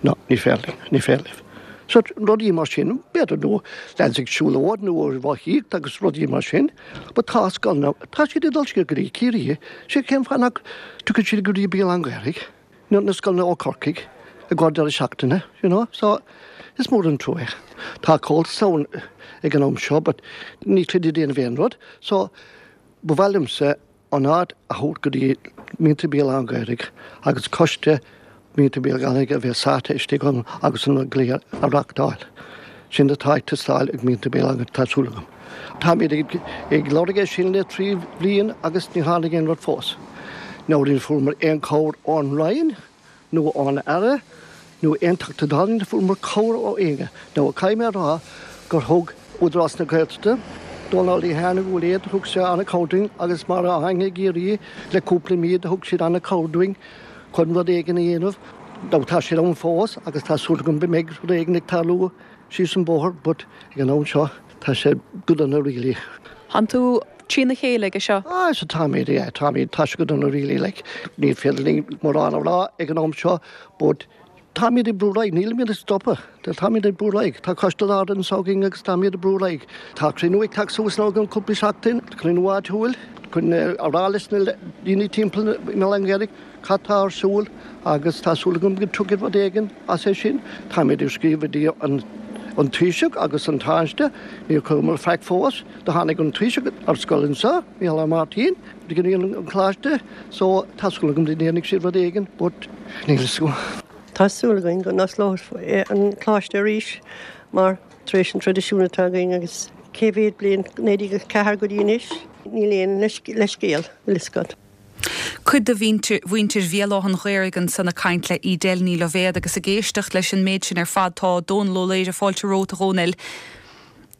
No, ní féidir linn, ní féidir libh. So, rudaí mar sin, b'fhéidir nó lads ag siúlóid nó ar rothaíocht agus rudaí mar sin, but tá scoileanna, tá siad ag dul siar go dtí Ciarraí, sé cén fáth nach dtiocfaidh siad go dtí Béal Átha an Ghaorthaidh, nó na scoileanna ó Chorcaigh i gcomhair deireadh seachtaine, you know, so is mór an trua é. Tá Comhaltas ann ag an am seo but níl siad ag déanamh aon rud, so ba mhaith liomsa an áit a thabhairt go dtí muintir Béal Átha an Ghaorthaidh agus coiste mhuintir Béal Átha an Ghaorthaidh a bheith sáite istigh ann agus an cluiche a reachtáil. Sin atá ag teastáil ag muintir Béal Átha an Ghaorthaidh, tá súil agam. Táimid ag lorg é sin le 3 bhliain agus ní tháinig aon rud fós. Now ní fuaireamar aon chabhair ón Roinn. nó ón Aire nó aon Teachta Dála ní fuaireamar cabhair ó éinne. Now caithfidh mé a rá gur thug Údarás na Gaeltachta, Dónal Lehane go bhfuil iad, thug sé an-chabhair dúinn agus mar a tháinig i gCiarraí le cúpla mí do thug siad an-chabhair dúinn chun rud éigin a dhéanamh. Now tá siad ann fós agus tá súil agam go mbeidh rud éigin ag tarlú síos an bóthar but ag an am seo tá sé go dona really. Tánn tú trína chéile aige seo? Ah so táimid, yeah, táimid, tá sé go dona really like ní féidir linn mórán a rá ag an am seo but táimid ag brú ar aghaidh, nílimid ag stopadh, táimid ag brú ar aghaidh, tá coiste láidir anseo againn agus táimid ag brú ar aghaidh. Tá cruinniú ag teacht suas now i gceann cúpla seachtain, cruinniú áitiúil chun a rá leis na daoine timpeall i mBéal Átha an Ghaorthaidh cad tá ar siúl agus tá súil agam go dtiocfaidh rud éigin as é sin. Táimid ag scríobh go dtí an Taoiseach agus an Tánaiste, níor chuireamar faic fós. Do tháinig an Taoiseach ar scoil anseo, Micheál R. Martin, go dtí an coláiste so tá súil agam go ndéanfaidh siad rud éigin but níl a fhios agam. Tá súil againn go n-osclófar an coláiste arís mar tar éis an traidisiún atá againn agus cé mhéad bliain, 1904 go dtí anois, níl aon leithscéal, bhfuil fhios agat. Cuid de mhuintir Bhéal Átha an Ghaorthaidh ansan ag caint le Edel Ní Loibhéad agus ag éisteacht leis an méid sin ar fad tá Dónal Ó Laoire, fáilte romhat a Dhónaill.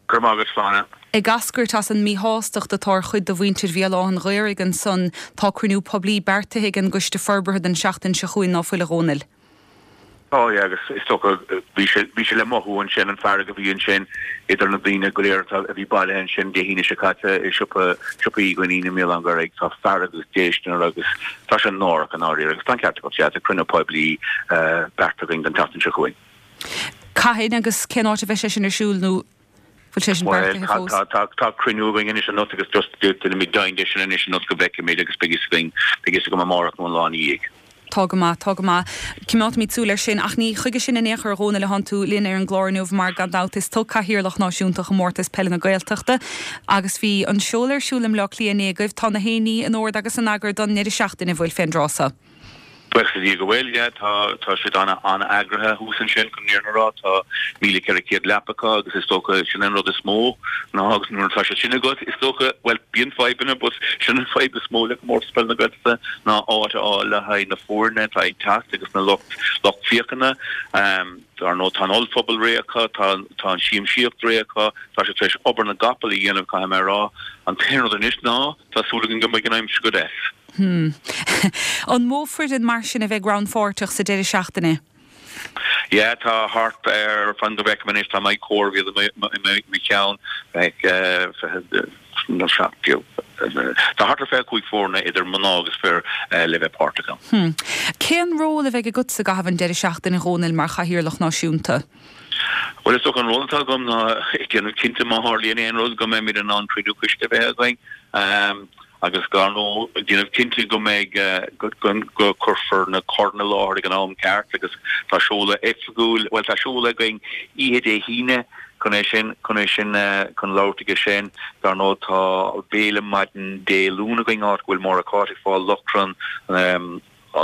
Go raibh maith agat, Sláine. Ag eascairt as an míshástacht atá ar chuid de mhuintir Bhéal Átha an Ghaorthaidh ansan tá cruinniú poiblí beartaithe ag an gCoiste Forbartha don seachtain seo chugainn, ná fuil a Dhónaill? Tá, yeah, agus is dócha, bhí sé, bhí sé le mothú ansin, an fearg a bhí ansin idir na daoine go léir atá, a bhí bailithe ansin Dé hAoine seo caite i siopa, siopa Uí Dhuinnín i mBéal Átha an Ghaorthaidh. Tá fearg agus déistin orthu agus tá sé náireach i ndáiríre agus tá an ceart agat, yeah, tá cruinniú poiblí beartaithe againn don tseachtain seo chugainn. Cathain agus cén áit a bheidh sé sin ar siúl nó bhfuil sé sin beartaithe fós? Bhuel, tá, tá cruinniú againn anois anocht agus just déanfaimid deimhin de sin anois anocht go bhfeicfimid agus beidh fhios againn, beidh fhios agam amárach nó an lá ina dhiaidh. Tá go maith, tá go maith. Coimeádfaimid súil air sin. Ach ní chuige sin in aon chor, a Dhónaill, atánn tú linn ar an gclár inniu mar, gan dabht, is tú Cathaoirleach Náisiúnta Chomórtas Peile na Gaeltachta agus bhí an seoladh ar siúl i mBleá Cliath inné agaibh. Tá na haon ní in ord agus in eagar don ndeireadh seachtaine, an bhfuil, fén dtráth so? Buíochas le Dia go bhfuil, yeah. Tá, tá siad ana, ana-eagraithe thuas ansin, chun an fhírinne a rá. Tá 1,400 leapa acu agus is dócha, sin an rud is mó ná agus nuair atá sé sin agat, is dócha, bhuel, bíonn fadhbanna but sin an fadhb is mó le Comórtas Peile na Gaeltachta ná áit a fháil le haghaidh na foirne atá ag teacht agus na lucht, lucht féachana. Dar ndóigh, tá an ollphuball réidh acu, tá, tá an siamsaíocht réidh acu, tá siad tar éis obair na gcapall a dhéanamh, caithfidh mé a rá. An t-aon rud anois ná, tá súil againn go mbeidh an aimsir go deas. Hmm. An mó foireann mar sin a bheidh rannpháirteach sa deireadh seachtaine? Yeah, tá thart ar, fan go bhfeicim anois, tá mé ag comhaireamh iad i mo cheann, beidh 7, tá thart ar 25 foirne idir mná agus fir le bheith páirteach ann. Hmm. Cén ról a bheidh agatsa i gcaitheamh an deireadh seachtaine, a Dhónaill, mar Chathaoirleach Náisiúnta? Bhuel, is dócha an ról atá agam ná ag déanamh cinnte má tharlaíonn aon rud go mbeimid in ann cruinniú coiste a bheith againn. Agus dar ndóigh, ag déanamh cinnte go mbeidh, go cuirfear na coirn i láthair ag an am ceart agus tá seoladh oifigiúil, bhuel tá seoladh againn oíche Dé hAoine chun é sin, chun é sin, chun labhairt aige sin. Dar ndóigh tá béile maidin Dé Luain againn áit go bhfuil Máire Cáit ag fáil lóchrann, an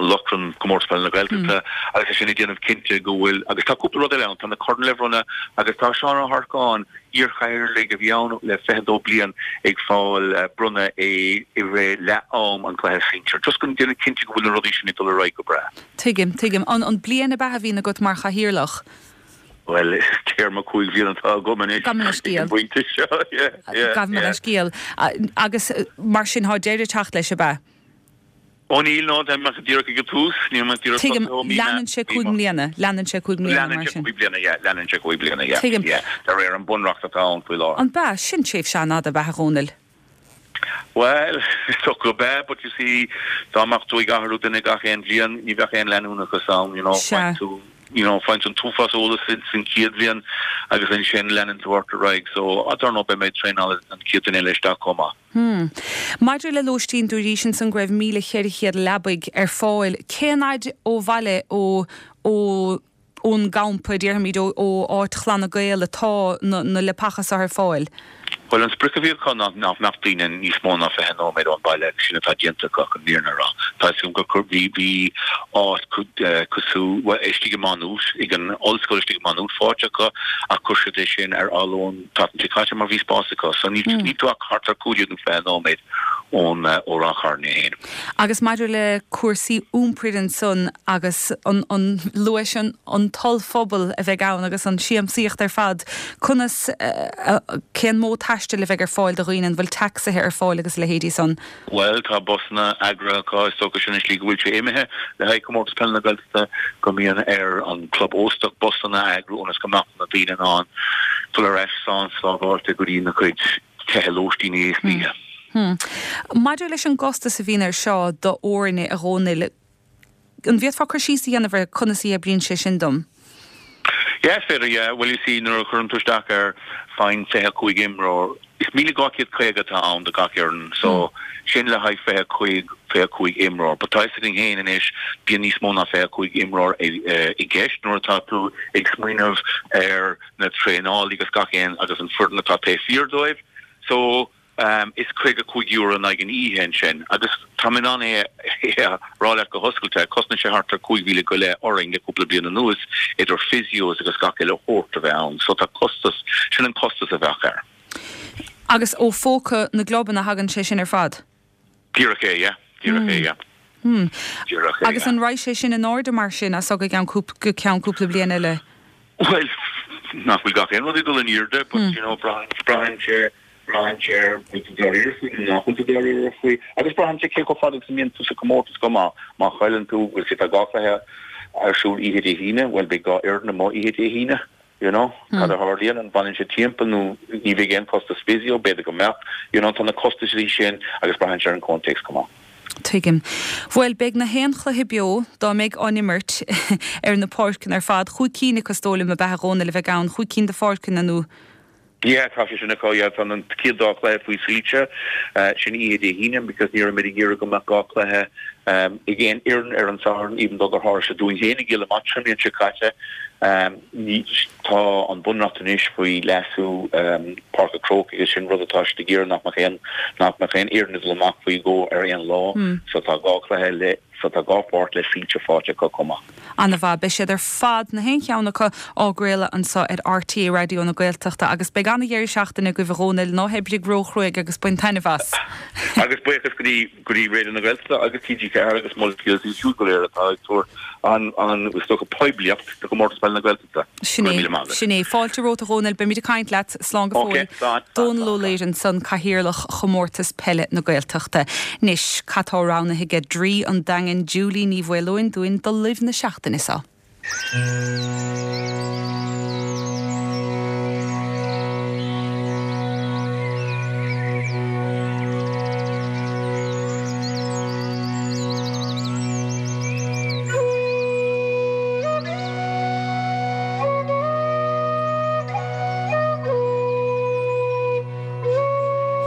lóchrann Comórtas Peile na Gaeltachta agus é sin ag déanamh cinnte go bhfuil, agus tá cúpla rud eile ann, tá na coirn le bronnadh agus tá Seán Ó hEarcáin, iarchathaoirligh a bhí ann le 22 bliain ag fáil bronnadh é i rith leath am an chluiche sinsir. Just chun déanamh cinnte go bhfuil na rudaí sin ag dul ar aghaidh go breá. Tuigim, tuigim. An an bliain ab ea a bhíonn agat mar chathaoirleach? Bhuel, téarma 5 bhliain atá agam anois Gabh mo leithscéal. ag an bpointe seo, yeah, yeah, Gabh mo yeah. leithscéal. Agus mar sin, tá deireadh ag teacht leis, ab ea? Ó níl, no, tá mé díreach ag an tús, níl mé díreach Tuigim, tosaithe ó mí leanann sé 5 mbliana, leanann sé 5 mbliana mar sin. Leanann sé 5 bliana, yeah, leanann sé 5 bliana, yeah, Tuigim. yeah, de réir an bunreacht atá ann faoi láthair. An b'ea? Sin tréimhse an-fhada, ab ea, a Dhónaill? Bhuel, is dócha gurb ea, but you see, dá mbeadh tú ag athrú duine gach aon bhliain, ní bheadh aon leanúnachas ann, you know, faigheann tú, you know, faigheann tú an t-uafás eolas san chéad bhliain agus ansin leanann tú ort ar aghaidh, so, I don't know, beidh mé ag traenáil an chéad duine eile isteach chomh maith. Hmm. Maidir le lóistín, dúraís ansan go raibh 1,400 leabaidh ar fáil. Cén fhaid ó bhaile ó, ó, ón gcampa, déarfaimid, ó áit Chlanna Gael atá na leapacha seo ar fáil? Bhuel, an sprioc a bhí acu ná nach mbeadh daoine níos mó ná 20 nóiméad ón baile agus sin atá déanta acu, chun an fhírinne a rá. Tá a fhios agam gur chuir, bhí, bhí áit cosúil, bhuel, istigh i Má Nuat, ag an ollscoil istigh i Má Nuat faighte acu ach chuir siad é sin ar athló an tseachtain seo caite mar bhí spás acu. So níl, níl tú ach thart ar 15 nó 20 nóiméad ón, ó Ráth Chairn é féin. Agus maidir le cúrsaí iompair ansan agus an, an, luais an, an t-ollphuball a bheidh ann agus an siamsaíocht ar fad, conas, cén modh taistil a bheidh ar fáil do dhaoine, an bhfuil tacsaithe ar fáil agus a leithéidí san? Bhuel, tá busanna eagraithe acu, is dócha sin an slí go bhfuil sé imithe le haghaidh Comórtas Peile na Gaeltachta, go mbíonn ar an gclub óstach busanna a eagrú ionas go mbeadh na daoine in ann dul ar ais slán sábháilte go dtí na cuid tithe lóistín istoíche. Maidir leis an gcostas a bhíonn air seo do fhoirne, a Dhónaill, an bhféadfá cur síos a dhéanamh ar conas a oibríonn sé sin dom? Yeah, is féidir, yeah. Bhuel, you see, nuair a chuireann tú isteach ar fine 25 imreoir, is 1,250 atá ann do gach fhoireann, so sin le haghaidh 25, 25 imreoir. But tá a fhios againn féin anois, bíonn níos mó ná 25 imreoir i gceist nuair atá tú ag smaoineamh ar na traenálaí agus gach aon, agus an foireann atá taobh thiar dóibh. So, is €55 in aghaidh an oíche ansin agus tá mé in ann é a rá leat go hoscailte, cosnaíonn sé thart ar 5,000 go leith orainn le cúpla bliain anuas idir physios agus gach uile shórt a bheith ann so tá costas, sin an costas a bheadh air. Agus ó phóca na gclubanna a thagann sé sin ar fad? Díreach é, yeah. Díreach é, yeah. Díreach é, Agus an raghaidh sé sin in airde mar sin as seo go ceann go ceann cúpla bliain eile? Bhuel, nach bhfuil gach aon rud ag dul in airde, but you know, braitheann, braitheann sé, braitheann sé ar bhfuil tú dáiríre faoi nó nach bhfuil tú dáiríre faoi. Agus braitheann sé cé chomh fada agus a mbíonn tú sa chomórtas chomh maith. Má chailleann tú, bhuel, sea, tá dhá chluiche ar siúl oíche Dé hAoine, bhuel, beidh dhá fhoireann amuigh oíche Dé hAoine. You know, cad a tharlaíonn, an bhfanann siad timpeall nó ní bheidh aon chostas physio, b'fhéidir go mbeadh, you know, tá na costaisí sin agus braitheann sé ar an chomhthéacs chomh maith. Tuigim. Bhuel, beidh na haon chluiche beo, dá mbeidh á n-imirt, ar na páirceanna ar fad, chúig cinn acu is dóigh liom, ab ea a Dhónaill, a bheidh ann, chúig cinn de pháirceanna nó. Yeah, tá sé sin acu, yeah, tá an chéad dá chluiche faoi soilse, sin oíche Dé hAoine because ní raibh muid ag iarraidh go mbeadh dhá chluiche ag aon fhoireann ar an Satharn even though gur tharla sé dúinn féin i gCill Amáit an bhliain seo caite. Tá an bunreacht anois faoi leasú Páirc an Chrócaigh agus sin rud atá siad ag iarraidh nach mbeadh aon nach mbeadh aon fhoireann ag dul amach faoi dhó ar aon lá so tá dhá chluiche le so tá dhá pháirc le soilse faighte acu chomh maith. Ana-mhaith. Beidh siad ar fad, na haon cheann acu, á gcraoladh anseo ar RTÉ Raidió na Gaeltachta agus beidh ana-dheireadh seachtaine agaibh a Dhónaill, ná hoibrigh ró-chruaidh agus bain taitneamh as! Agus buíochas go dtí go dtí Raidió na Gaeltachta agus TG4 agus Molscéal is iad siúd go léir atá ag tabhairt an, an, is dócha, poiblíocht do Chomórtas Peile na Gaeltachta. Sin é, sin é. Fáilte romhat a Dhónaill, beimid ag caint leat. Slán go fóill. Ok, slán. Dónal Ó Laoire ansan, Cathaoirleach Chomórtas Peile na Gaeltachta. Anois, cad tá roghnaithe aige Draoi an Daingin, Julie Ní Mhaoileoin dúinn do Luibh na seachtaine seo.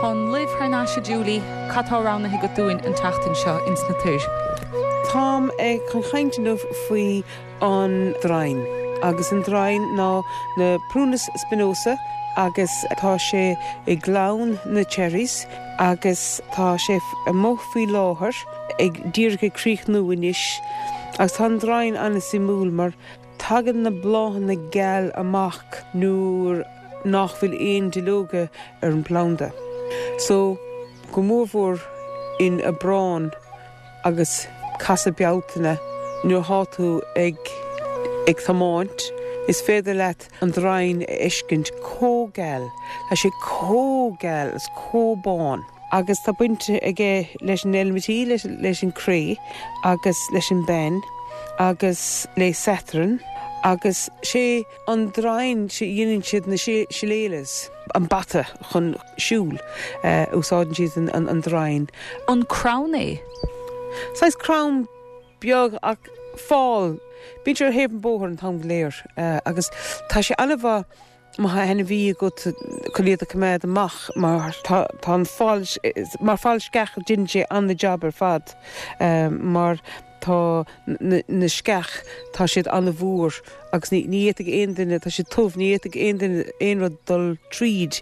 Tá an luibh thar n-ais a Julie, cad tá roghnaithe agat dúinn an tseachtain seo ins na toir? Táim chun caint inniu faoi an draighean. Agus an draighean ná na Prunus spinosa agus tá sé i gclann na cherries agus tá sé amuigh faoi láthair ag díreach ag críochnú anois agus tá an draighean an-suimiúil mar Tagann na bláthanna geal amach nuair nach bhfuil aon duilleoga ar an bplanda. So, go mórmhór in Aibreán agus casadh Bealtaine nuair thá tú ag ag tiomáint, is féidir leat an draighean a fheiscint comh geal. Tá sé comh geal is comh bán. Agus tá baint aige leis an eilimintí, leis an cré agus leis an bpeann agus le Saturn. Agus sé an draighean sé dhéanann siad na shillelaghs, an bata chun siúl, úsáideann siad an draighean. An crann é? Saghas crann beag ach fál. Bíonn sé ar thaobh an bhóthair an t-am go léir agus tá sé an-mhaith má tá ainmhí agat chun iad a choimeád amach mar tá an fál, mar fál sceach déanann sé an-jab ar fad mar tá na sceach, tá siad an-mhór agus ní fhéadfaidh aon duine, tá siad tiubh, ní fhéadfaidh aon duine aon rud dul tríd.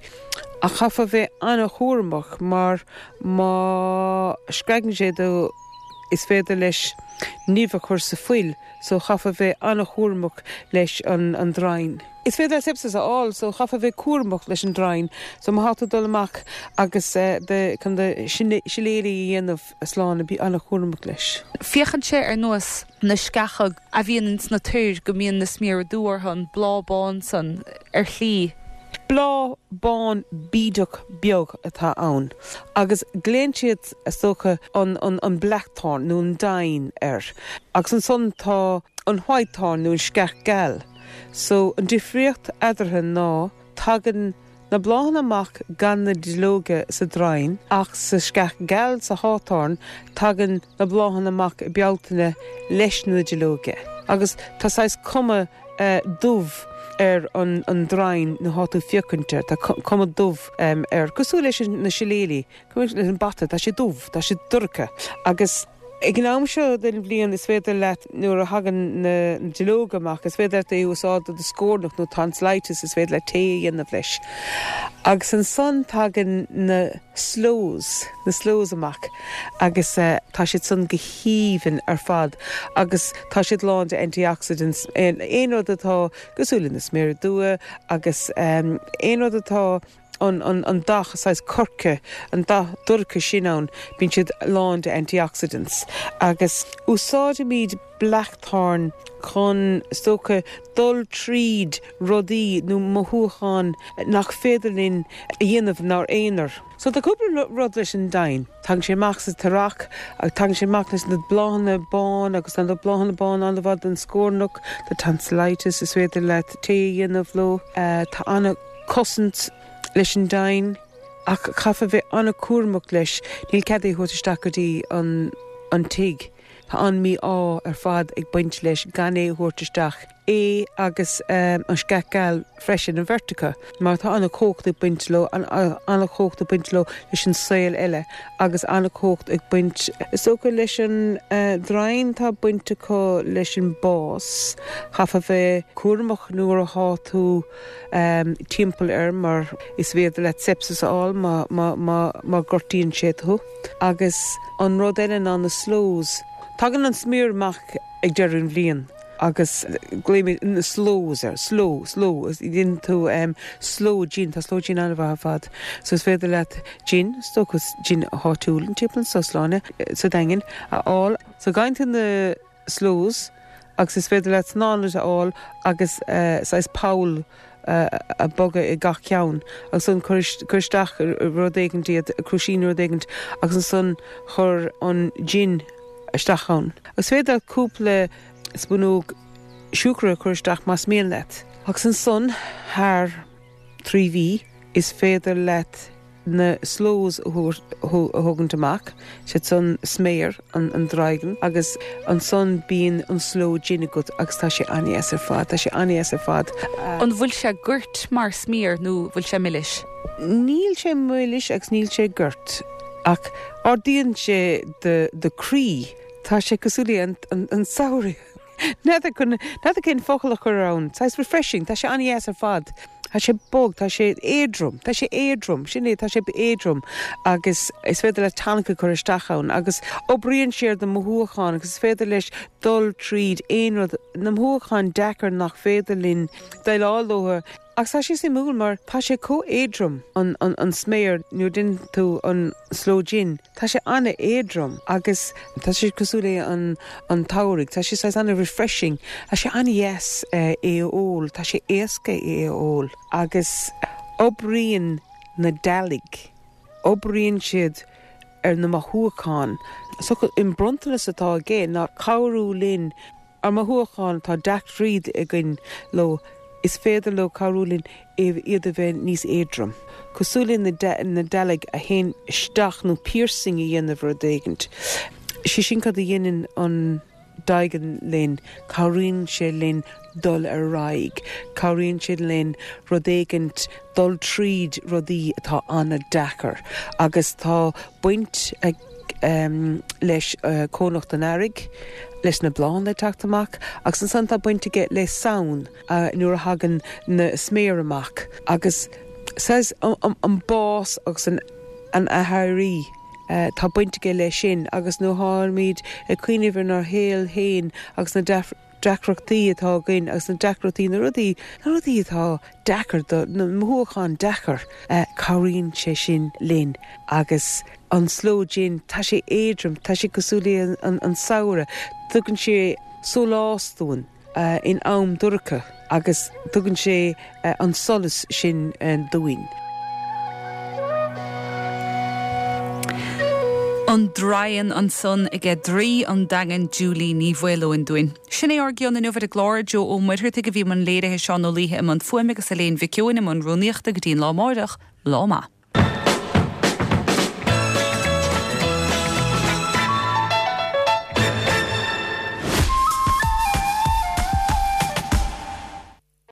Ach chaithfeá bheith an-chúramach mar má screagann sé do is féidir leis nimh a chur sa fuil so chaithfeá bheith an-chúramach leis an draighean. Is féidir leat sepsis a fháil so chaithfeá bheith cúramach leis an draighean so má thá tú ag dul amach agus do chun do shillelagh a dhéanamh a Shláine bí an-chúramach leis. Féachann sé ar nós na sceacha a bhíonn ins na toir go mbíonn na sméara dubha orthu, an bláth bán san, ar shlí. Bláth bán bídeach beag atá ann agus glaonn siad, is dócha, an an blackthorn nó an dine air. Agus ansan tá an whitethorn nó an sceach geal. So an difríocht eadarthu ná tagann na bláthanna amach gan na duilleoga sa draighean ach sa sceach geal sa hawthorn tagann na bláthanna amach i Bealtaine leis na duilleoga agus tá saghas cuma dubh ar an draighean nuair thá tú féachaint air, tá cuma dubh air, cosúil leis na shillelagh, cosúil leis an bata, tá sé dubh, tá sé dorcha agus ag an am seo den bhliain is féidir leat nuair a thagann na duilleoga amach is féidir leat é a úsáid do do scornach nó tonsillitis is féidir leat tae a dhéanamh leis. Agus ansan tagann na sloes, na sloes amach agus tá siad san go haoibhinn ar fad agus tá siad lán de antioxidants, aon rud atá cosúil le na sméara dubha agus aon rud atá an dath saghas coirce, an dath dorcha sin ann, bíonn siad lán de antioxidants agus úsáidimid blackthorn chun, is dócha, dul tríd rudaí nó mothúcháin nach féidir linn a dhéanamh inár aonar. So tá cúpla rud leis an dine. Tagann sé amach sa t-earrach agus tagann sé amach leis na bláthanna bán agus tá na bláthanna bán an-mhaith don scornach, do tonsillitis, is féidir leat tae a dhéanamh leo. Tá an-chosaint leis an dine ach caithfear bheith an-chúramach leis, níl cead é a thabhairt isteach go dtí an tigh. Tá an mí-ádh ar fad ag baint leis gan é a thabhairt isteach, é agus an sceach geal freisin, an bheirt acu, mar tá an-chumhacht ag baint leo, an-chumhacht ag baint leo leis an saol eile agus an-chumhacht ag baint, is dócha, leis an draighean, tá baint acu leis an bás. Chaithfeá bheith cúramach nuair athá tú timpeall air mar is féidir leat sepsis a fháil má ghortaíonn sé tú. Agus an rud eile ná na sloes. Tagann an sméar amach ag deireadh an bhliain agus glaoimid na sloes air, sloe, sloe, déanann tú sloe gin, tá sloe gin an-mhaith ar fad. So is féidir leat gin, is dócha gin áitiúil, an timpeall anso, Sláine, sa Daingean, a fháil. So gheibheann tú na sloes agus is féidir leat snáithe a fháil agus saghas poll a bhogadh i gach ceann agus ansan cuir isteach rud éigint iad, crúiscín nó rud éigint agus ansan chuir an gin isteach ann. Agus is féidir leat cúpla spúnóg siúcra a chur isteach más mian leat. Agus ansan thar 3 mhí is féidir leat na sloes a thógaint amach, siad san sméar an draighin agus ansan bíonn an sloe gin agat agus tá sé an-dheas ar fad, tá sé an-dheas ar fad. An bhfuil sé goirt mar sméar nó bhfuil sé milis? Níl sé milis agus níl sé goirt ach ardaíonn sé do chroí, tá sé cosúil le an samhradh. N'fheadar n'fheadar cén focal a chur ann. Saghas refreshing. Tá sé an-dheas ar fad. Tá sé bog, tá sé éadrom, tá sé éadrom, sin é, tá sé éadrom agus is féidir leat tonic a chur isteach ann agus oibríonn sé ar do mhothúcháin agus is féidir leis dul tríd aon rud, na mothúcháin deacair nach féidir linn déileáil leo. Agus tá sé suimiúil mar tá sé chomh éadrom, an an sméar, nuair a déanann tú an sloe gin, tá sé an-éadrom agus tá sé cosúil le an an tsamhraidh, tá sé saghas an-refreshing, tá sé an-dheas é a ól, tá sé éasca é a ól agus oibríonn na dealg, oibríonn siad ar na mothúcháin. So an bronntanas atá aige ná cabhrú linn. Ár mothúcháin, tá deacracht againn leo, is féidir leo cabhrú linn iad a bheith níos éadrom. Cosúil le na dealg a théann isteach nó piercing a dhéanamh rud éigint. Sé sin cad a dhéanann an Daighean linn, cabhraíonn sé linn dul ar aghaidh, cabhraíonn sé linn rud éigint, dul tríd rudaí atá an-deacair agus tá baint ag leis cónocht an earraigh, leis na bláthanna ag teacht amach agus ansan tá baint aige le Samhain nuair a thagann na sméar amach agus saghas an bás agus an athéirí, tá baint aige leis sin agus nuair tháimid ag cuimhneamh ar ár shaol féin agus na deacrachtaí atá againn agus na deacrachtaí, na rudaí, na rudaí atá deacair do, na mothúcháin deacair, cabhraíonn sé sin linn agus an sloe gin, tá sé éadrom, tá sé cosúil le an samhradh, tugann sé sólás dúinn in am dorcha agus tugann sé an solas sin dúinn. An Draighean ansan aige Draoi an Daingin Julie Ní Mhaoileoin dúinn. Sin é ár gcion inniu ar an gclár. Joe Ó Muircheartaigh a bhí i mbun léirithe, Seán Ó Laoithe i mbun fuaime agus Elaine Mhic Eoin i mbun rúnaíochta go dtí an lá amáireach. Lá maith.